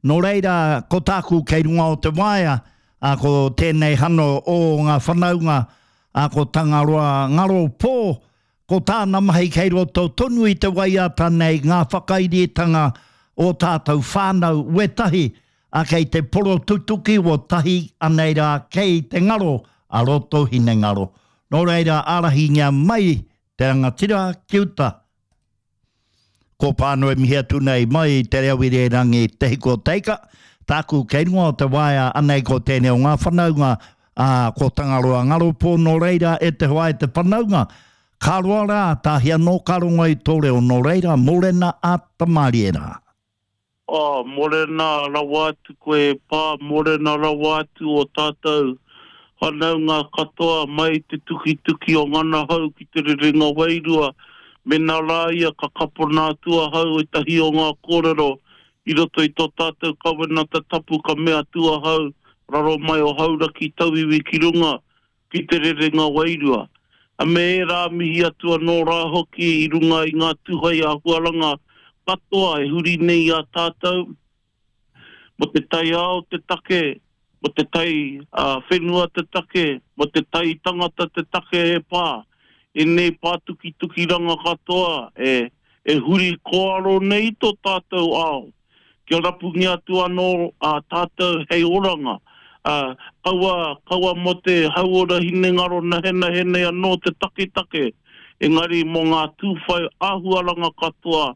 Nō reira, ko tāku kei runga o te waea, ā, ko tēnei hano o ngā whanaunga, ā, ko Tangaroa Ngaro Pō, ko tāna mahi kei roto tonu i te waiata nei ngā whakairitanga o tātou whānau wētahi, ā, kei te porotutuki o tahi anei rā kei te ngaro a roto hinengaro. Nō reira, ārahingia mai te rangatira ki uta. Ko Pānui mihi atu nei mai i te reo irerangi Te Hiku o Te Ika, tāku kei runga o te waea anei ko tēnei o ngā whanaunga, ā, ko Tangaroa Ngaropō nō reira e te hoa e te whanaunga, ka roa rā, tāhi anō ka rongo i tō reo nō reira, mōrena a Tamarie rā. Oh, morena rawa atu koe e Pa, morena rawa atu o tatou whanaunga katoa mai te tukituki o ngana hau ki te rerenga wairua, mena ra ia ka kapona atu ahau etahi o nga korero i roto i to tatou kawenata tapu ka mea atu ahau raro mai o Hauraki tauiwi ki runga ki te rerenga wairua, a me ērā mihi atu anō rā hoki i runga i ngā tūhai āhuaranga katoa e huri nei i a tātou, mō te taiao te take, mō te tai whenua te take, mō te tai tangata te take e pā, ēnei pātukitukiranga katoa e huri kōaro nei tō tātou ao. kia rapungia atu anō ā tātou hei oranga, ā, kaua, kaua mō te hauora hinengaro nahenahe nei anō te taketake, engari mō ngā tūwhai āhuaranga katoa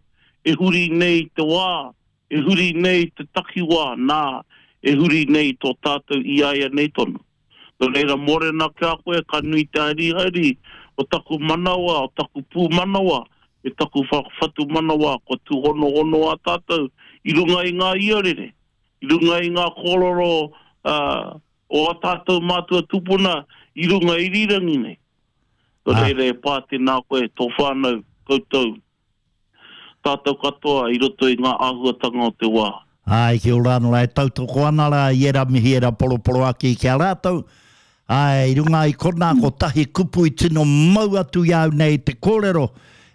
e huri nei te wā, e huri nei te takiwā, nā, e huri nei tō tātou iāianei tonu. Nō reira, mōrena ki a koe, ka nui te harihari o taku manawa, o taku pūmanawa, me taku whatumanawa, kua tūhonohono a tātou i runga i ngā iarere, i runga i ngā kōrero o ā tātou mātua tupuna i runga irirangi nei. Nō reira, e pā tēnā koe, tō whānau, koutou. Tātou katoa i roto i ngā āhuatanga o te wā. Āe, kia ora anō rā, e tautoko ana rā i ērā mihi, ērā poroporoaki ki a rātou. Āe, i runga i konā, kotahi kupu i tino mau atu i a au nei te kōrero,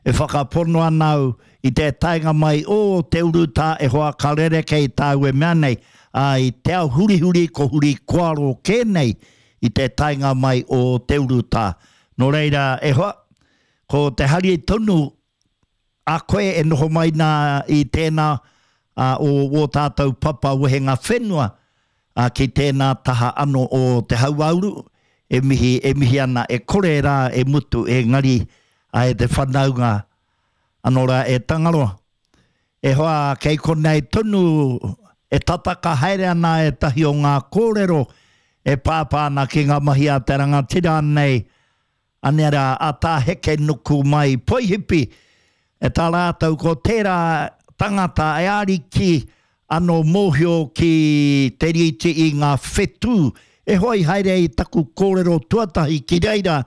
e whakapono ana au i te taenga mai o te urutā e hoa ka rerekē i tāu e mea nei, ā, i te ao hurihuri ko huri koaro kē nei i te taenga mai o te urutā. Nō reira, e hoa, Ko te hari tonu a koe e noho mai nā i tēnā o wō tātou papa wehenga whenua ki tēnā taha ano o te hauāuru, e mihi, e mihi ana e kore rā e mutu engari a e te whanaunga ano rā e Tangaroa. E hoa kei konei tonu e tataka haere ana ētahi o ngā kōrero e pāpā ana ki ngā mahi a te rangatira nei Anei rā a Tā Hekenuku mai Poihipi, e tā rātou ko tērā tangata e ariki ano mōhio ki te rīti i ngā whetū. E hoa i haere i taku kōrero tuatahi ki reira,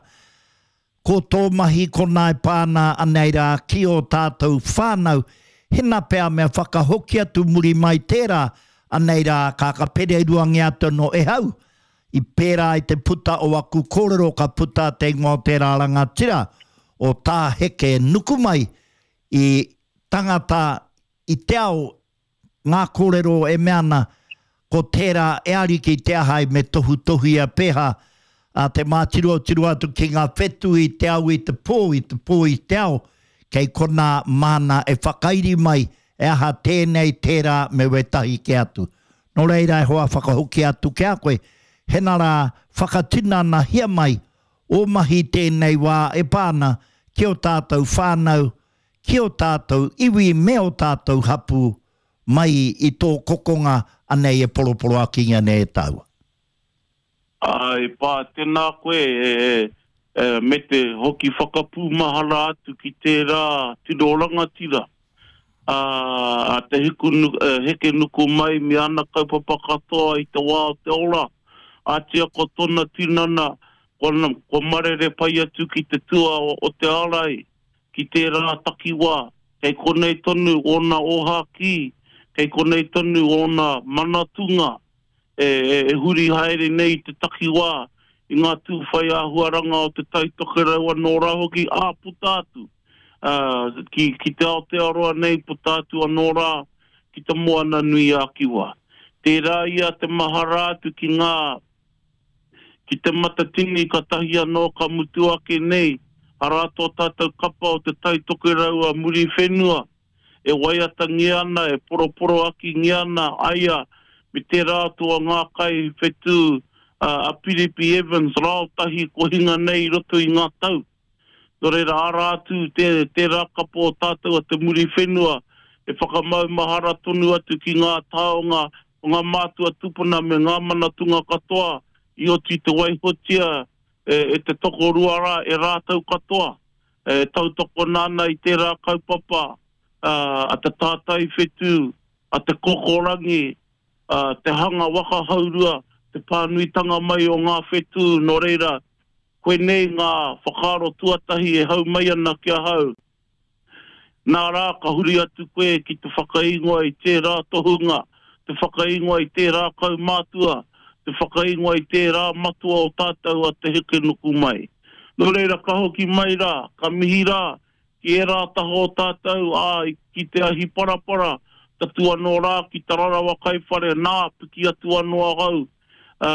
ko tō mahi konā e pā ana anei rā ki ō tātou whānau, hena pea mea whakahoki atu muri mai tērā, anei rā ka ka pereruangia atu anō e hau, I pērā i te puta o aku kōrero ka puta te ingoa o tērā rangatira o Tā Heke Nukumai i tangata i te ao ngā kōrero e mea ana ko tērā e ariki te ahai me tohutohuia pēhā a te mātirotiro atu ki ngā whetū i te ao i te pō i te pō i te ao kei konā māna e whakairi mai e aha tēnei tērā me wētahi kē atu. Nō reira e hoa whakahokia atu ki a koe, hena rā whakatinanahia mai ō mahi tēnei wā e pā ana ki ō tātou whānau, ki ō tātou iwi me ō tātou hapū mai i tō kokonga anei e poroporoakingia nei e tāua. Āe pā, tēnā koe e, me te hoki whakapūmahara atu ki tērā tino rangatira, a, a Te Hiku, Hekenuku mai me ana kaupapa katoa i te wā o te ora, ātia ko tona tinana, kua, kua marere pai atu ki te tua o, o te ārai, ki tērā takiwā, kei konei tonu ōna ōhākī, kei konei tonu ōna manatunga, e huri haere nei i te takiwā, i ngā tū whai āhuaranga o Te Tai Tokerau anō rā hoki, ā, puta atu ki, ki te Aotearoa nei, puta atu anō rā ki te Moana-nui-ā-Kiwa. Tērā ia te mahara atu ki ngā, ki Te Matatini katahi anō ka mutu ake nei, arā tō tātou kapa o Te Tai Tokerau a Muriwhenua e waiatangia ana, e poroporoakingia ana aia me tērā atu o ngā kaiwhetū a Piripi Evans raotahi kua hinga nei i roto i ngā tau. Nō reira, arā atu tērā kapa o tātou a Te Muriwhenua e whakamaumahara tonu atu ki ngā taonga o ngā mātua tūpuna me ngā manatunga katoa i oti te waihotia e te tokorua rā, e rātou katoa e tautokona ana i tērā kaupapa a te tātai whetū, a te kokorangi, a te hanga waka haurua, te pānuitanga mai o ngā whetū, nō reira, Koinei ngā whakaaro tuatahi e hau mai ana ki ahau. Nā rā ka huri atu koe ki te whakaingoa i tērā tohunga, te whakaingoa i tērā kaumātua, te whakaingoa i tērā matua o tātou a Te Hekenukumai. Nō reira ka hoki mai rā, ka mihi rā ki ērā taha o tātou, ā, ki te ahi parapara, tatū anō rā ki Te Rarawa Kaiwhare, nā, piki atu anō ahau, ā,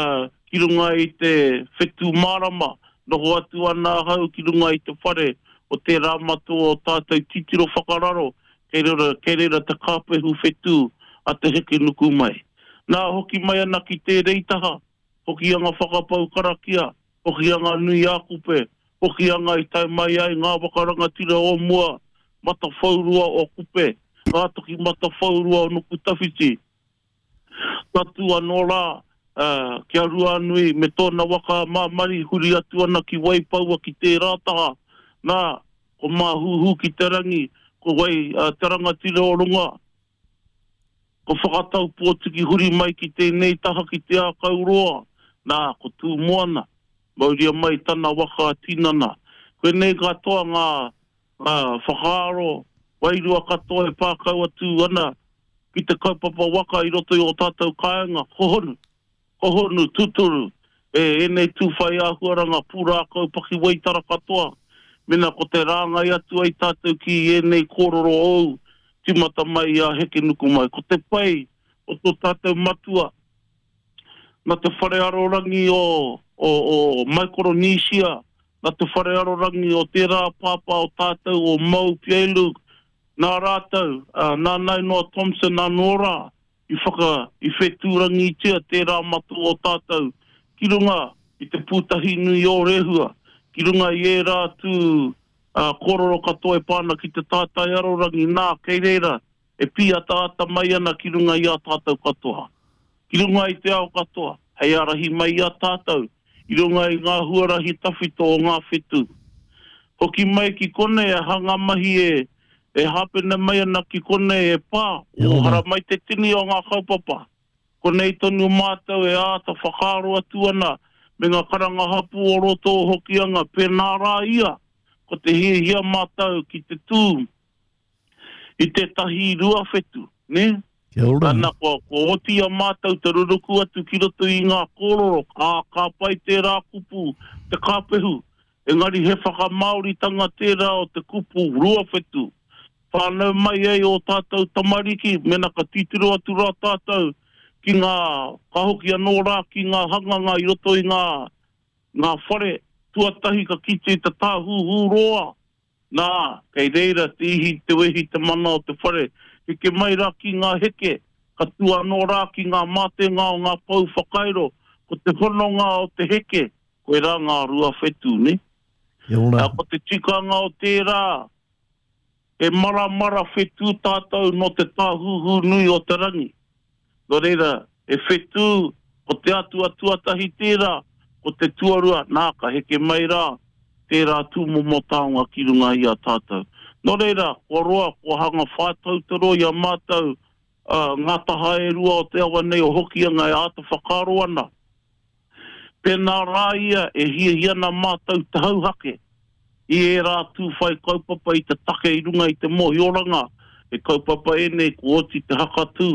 ki runga i te whetū mārama, noho atu ana ahau ki runga i te whare o tērā matua o tātou titiro whakararo, kei reira, kei reira te kāpehu whetū a Te Hekenukumai. Nā, hoki mai ana ki tērei taha, Hokianga whakapau karakia, Hokianga nui ā-Kupe, Hokianga i tae mai ai ngā waka rangatira o mua, Matawhaurua o Kupe, ngā toki matawhaurua o Nukutawhiti, Tatū anō rā ki a Ruanui me tōna waka a Māmari huri atu ana ki Waipaua ki tērā taha, nā, ko Māhūhū ki te rangi, ko wai te rangatira o runga, ko Whakatau Pōtiki huri mai ki tēnei taha ki Te Ākau Roa, nā, ko Tūmoana, mauria mai tana waka a tinana. Koinei katoa ngā whakaaro wairua katoa e pākau atu ana ki te kaupapa waka i roto i ō tātou kāinga, hohonu, hohonu, tūturu, e ēnei tū whai āhuaranga pūrākau pakiwaitara katoa, mena ko te rāngai atu ai tātou ki ēnei kōrero ōu, tīmata mai i a Hekenukumai. Ko te pai o tō tātou matua, nā te whare arorangi o, o, o Maikoronīsia, nā te whare arorangi o tērā pāpā o tātou o Mau Piailug, Nā rātou, ā, nā Nainoa Thompson anō rā i whaka, i whetūrangitia tērā matua o tātou ki runga i te pūtahi nui o Rehua, ki runga i ērā atu, ā, kōrero katoa e pā ana ki te tātai arorangi, nā, kei reira e pīataata mai ana ki runga i a tātou katoa, ki runga i te ao katoa, hei ārahi mai i a tātou i runga i ngā huarahi tawhito o ngā whetū. Hoki mai ki konei aha ngā mahi e e hāpene mai ana ki konei e pā, o haramai te tini o ngā kaupapa. Konei tonu mātou e āta whakaaro atu ana me ngā karanga hapū o roto o Hokianga pēnā rā ia, ko te hiahia mātou ki te tū i tētahi ruawhetu, nē? Kia ora. Ana, kua, kua oti i a mātou te ruruku atu ki roto i ngā kōrero, ā, ka pai tērā kupu, te kāpehu, engari he whakamāoritanga tērā o te kupu ruawhetu. Whānau mai ai ō tātou tamariki, mēnā ka titiro atu rā tātou ki ngā, ka hoki anō rā ki ngā hanganga i roto i ngā, ngā whare, tuatahi ka kite i te tāhuhu roa, Nā, kei reira te ihi, te wehi, te mana o te whare. Heke mai rā ki ngā heke, ka tū anō rā ki ngā mātenga o ngā pou whakairo, ko te hononga o te heke, koirā ngā ruawhetū, nē? Kia ora. Ā, ko te tikanga o tērā, he maramara whetū tātou nō te tāhuhu nui o te rangi. Nō reira, he whetū, ko te atua tuatahi tērā, ko te tuarua, nā, ka heke mai rā tērā tūmomo taonga ki runga i a tātou. Nō reira, kua roa, kua hanga whātau te roa i a mātou, ā, ngā taha e rua o te awa nei o Hokianga e āta whakaaro ana. Pēnā rā ia e hiahia ana mātou te hauhake i ērā tū whai kaupapa i te take i runga i te mōhioranga he kaupapa ēnei kua oti te hakatū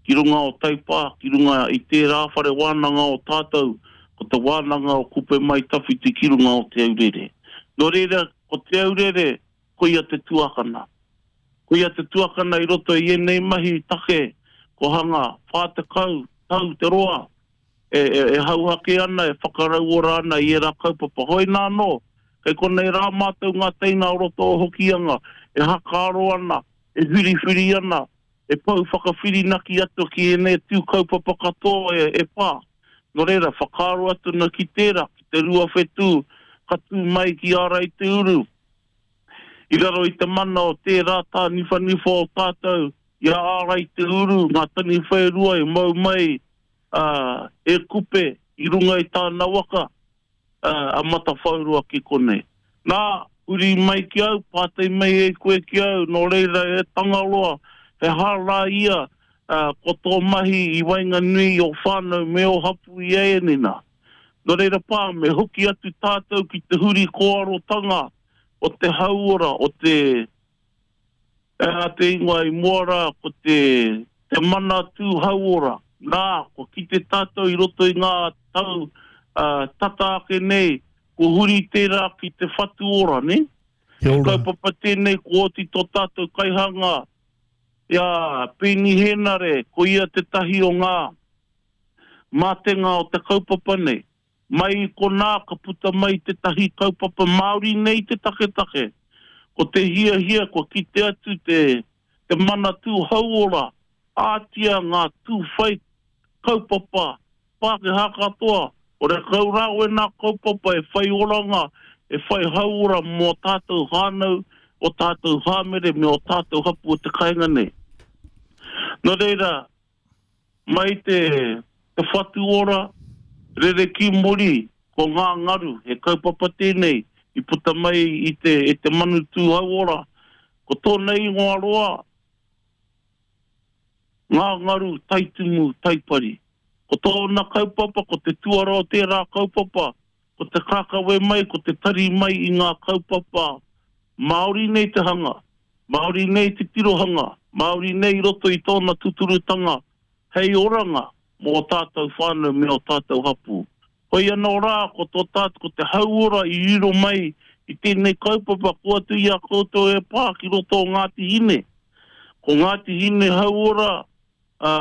ki runga o Taipā, ki runga i tērā whare wānanga o tātou, ko te wānanga o Kupe Mai Tawhiti ki runga o Te Aurere. Nō reira, ko Te Aurere, koia te tuakana. Koia te tuakana i roto i ēnei mahi take. Kua hanga 40 tau te roa e, e, e hauhake ana, e whakarauora ana i ērā kaupapa. Hoi nā anō, kei konei rā mātou ngā teina o roto o Hokianga e hakaaro ana, e whiriwhiri ana, e pou whakawhirinaki atu ki ēnei tū kaupapa katoa e, e pā. Nō reira, whakaaro atu ana ki tērā, ki te rua whetū ka tū mai ki Āraiteuru. I raro i te mana o tērā tāniwhaniwha o tātou, i a Āraiteuru, ngā taniwha e rua i mau mai a, e Kupe i runga i tāna waka, a, a Matawhauroa ki konei. Nā, huri mai ki au, pātai mai e koe ki au, nō reira e Tangaroa, he hā rā ia, ā, ko tō mahi i waenganui i ō whānau me ō hapū i ēnei nā. Nō reira pā, me hoki atu tātou ki te huri kōarotanga o te hauora, o te, he aha te ingoa i mua rā, ko te, te Manatū Hauora. Nā, kua kite tātou i roto i ngā tau tata ake nei, kua huri tērā ki te whatu ora, nē? Kia He ora. kaupapa tēnei kua oti tō tātou kaihanga i a Peeni Hēnare, ko ia tētahi o ngā mātenga o te kaupapa nei. Mai i konā ka puta mai tētahi kaupapa Māori nei te taketake. Ko te hiahia kua kite atu te te Manatū Hauora ātia ngā tūwhai kaupapa Pākehā katoa, horekau rā wēnā kaupapa e whai oranga, e whai hauora mō ō tātou whānau, ō tātou hāmere me ō tātou hapū o te kāinga nei. Nō reira, Mai te Te Whatu Ora, rere ki muri, ko ngā ngaru, he kaupapa tēnei i puta mai i te e te manu tūhauora. Ko tōna ingoa roa, Ngā Ngaru Taitumu Taipari. Ko tōna kaupapa, ko te tuara o tērā kaupapa, ko te kākawe mai, ko te tari mai i ngā kaupapa Māori nei te hanga, Māori nei te tirohanga, Māori nei i roto i tōna tuturutanga hei oranga mō ō tātou whānau me ō tātou hapū. Hoi anō rā, ko tō tātou, ko te hauora i riro mai i tēnei kaupapa ko atu i a koutou e pā ki roto o Ngāti Hine. Ko Ngāti Hine hauora, ā,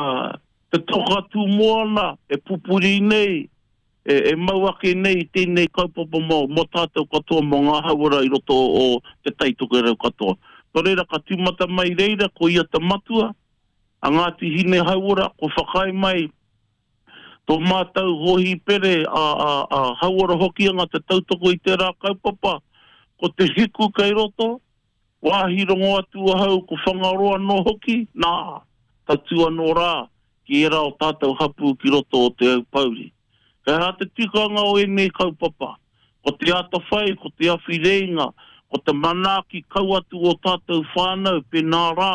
te toka tū moana e pupuri nei e mau ake nei i tēnei kaupapa mō, mō tātou katoa, mō ngā hauora i roto o Te Tai Tokerau katoa. Nō reira, ka tīmata mai reira, ko ia te matua, a Ngāti Hine Hauora, kua whakaae mai tō mātou hōhipere a, a, a Hauora Hokianga te tautoko i tērā kaupapa, ko te hiku kei roto, Wāhi rongo atu ahau ko Whangaroa anō hoki, nā, tatū anō rā ki ērā o tātou hapū ki roto o Te Aupōuri. He aha te tikanga o ēnei kaupapa? Ko te atawhai, ko te awhi rēinga, ko te manaaki kau atu o tātou whānau pēnā rā,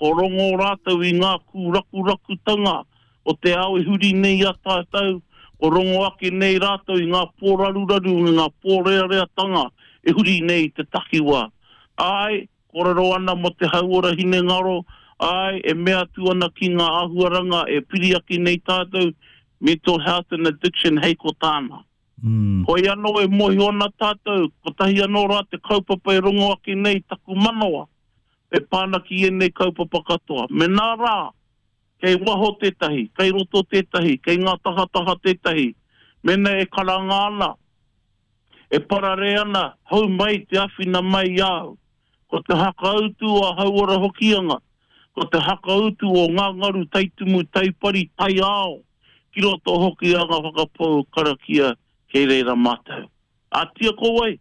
ko rongo rātou i ngā kūrakurakutanga o te ao e huri nei i a tātou, ko rongo ake nei rātou i ngā pōraruraru me ngā pōreareatanga e huri nei i te takiwā. Āe, kōrero ana mō te hauora hinengaro, āe, e mea atu ana ki ngā āhuaranga e piri ake nei tātou, mental health and addiction hei ko tāna. Hoi anō e mōhio ana tātou, kotahi anō rā te kaupapa e rongo ake nei taku manawa e pā ana ki ēnei kaupapa katoa. Mēnā rā, Kei waho tētahi, kei roto tētahi, kei ngā tahataha tētahi. Mēnā e karanga ana, e pararē ana, hou mai te awhina mai i a au. Ko te hakautu a Hauora Hokianga, ko te hakautu o ngā ngaru taitumu taipari taiao ki roto Hokianga whakapou karakia kei reira mātou. Ātia ko wai?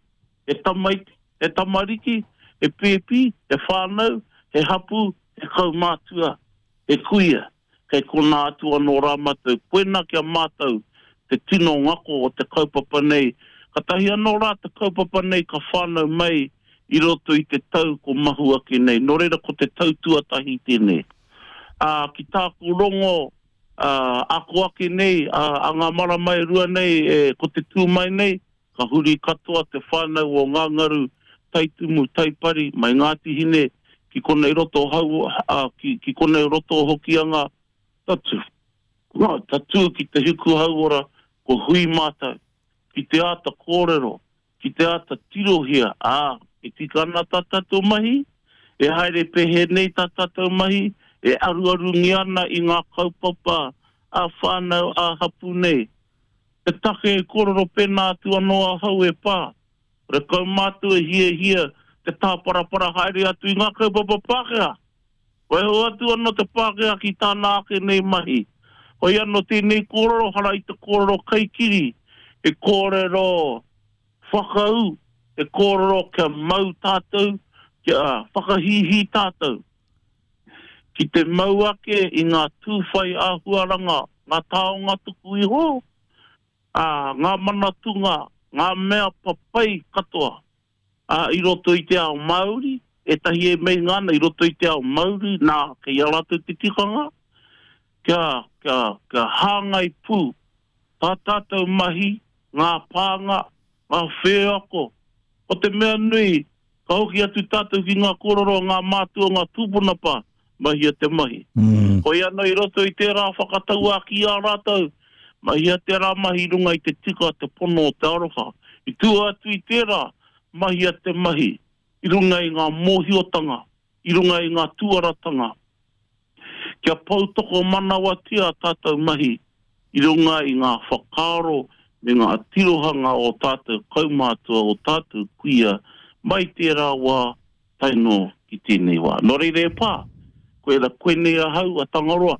He tamaiti, he tamariki, he pēpi, he whānau, he hapū, he kaumātua, he kuia, kei konā atu anō rā mātou. Koina ki a mātou te tino ngako o te kaupapa nei. Katahi anō rā te kaupapa nei ka whānau mai i roto i te tau ko mahu ake nei. Nō reira ko te tau tuatahi tēnei. Ā, ki tāku rongo, ā, ako ake nei, ā, a ngā marama e rua nei, e, ko te tū mai nei, ka huri katoa te whānau o Ngāngaru, Taitumu, Taipari, mai Ngāti Hine, ki konei roto o Hau, ā, ki, ki konei roto o Hokianga, tatū, tatū ki te hiku hauora, ko hui mātou, ki te āta kōrero, ki te āta tirohia, ā, e tika ana tā tātou mahi, e haere pēhea nei tā tātou mahi, e aruarungia ana i ngā kaupapa ā-whānau, ā-hapū nei. Te take e kōrero pēnā atu anō ahau e pā, horekau mātou e hiahia te tāparapara haere atu i ngā kaupapa Pākehā. Waiho atu anō te Pākehā ki tāna ake nei mahi. Hoi anō tēnei kōrero hara i te kōrero kaikiri, he kōrero whakaū, he kōrero kia mau tātou, kia whakahīhī tātou. Ki te mau ake i ngā tūwhai āhuaranga, ngā taonga tuku iho, ā, ngā manatunga, ngā mea papai katoa, ā, i roto i te ao Māori, ētahi e meinga ana i roto i te ao Māori, nā, kei a rātou te tikanga, kia, kia, kia hāngai pū tā tātou mahi, ngā pānga, ngā wheako. Ko te mea nui, ka hoki atu tātou ki ngā kōrero a ngā mātua, ngā tūpuna pā, mahia te mahi. Hoi anō i roto i tērā whakatauākī a rātou, mahia tērā mahi i runga i te tika, te pono, te aroha. I tua atu i tērā, mahia te mahi i runga i ngā mōhiotanga, i runga i ngā tuaratanga, kia poutokomanawatia ā tātou mahi i runga i ngā whakaaro me ngā tirohanga o tātou kaumātua, o tātou kuia mai tērā wā tae noa ki tēnei wā. Nō reira e pā, koira koinei ahau a Tangaroa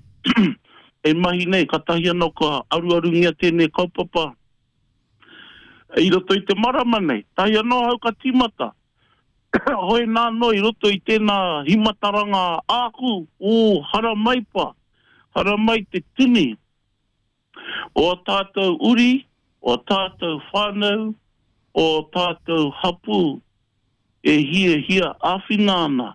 e mahi nei, katahi anō ka aruarungia tēnei kaupapa i roto i te marama nei. Tahi anō ahau ka tīmata. Hoi nā anō i roto i tēnā himataranga āku, ū, haramai pā, haramai te tini o ā tātou uri, o ā tātou whānau, o ā tātou hapū e hiahia āwhina ana.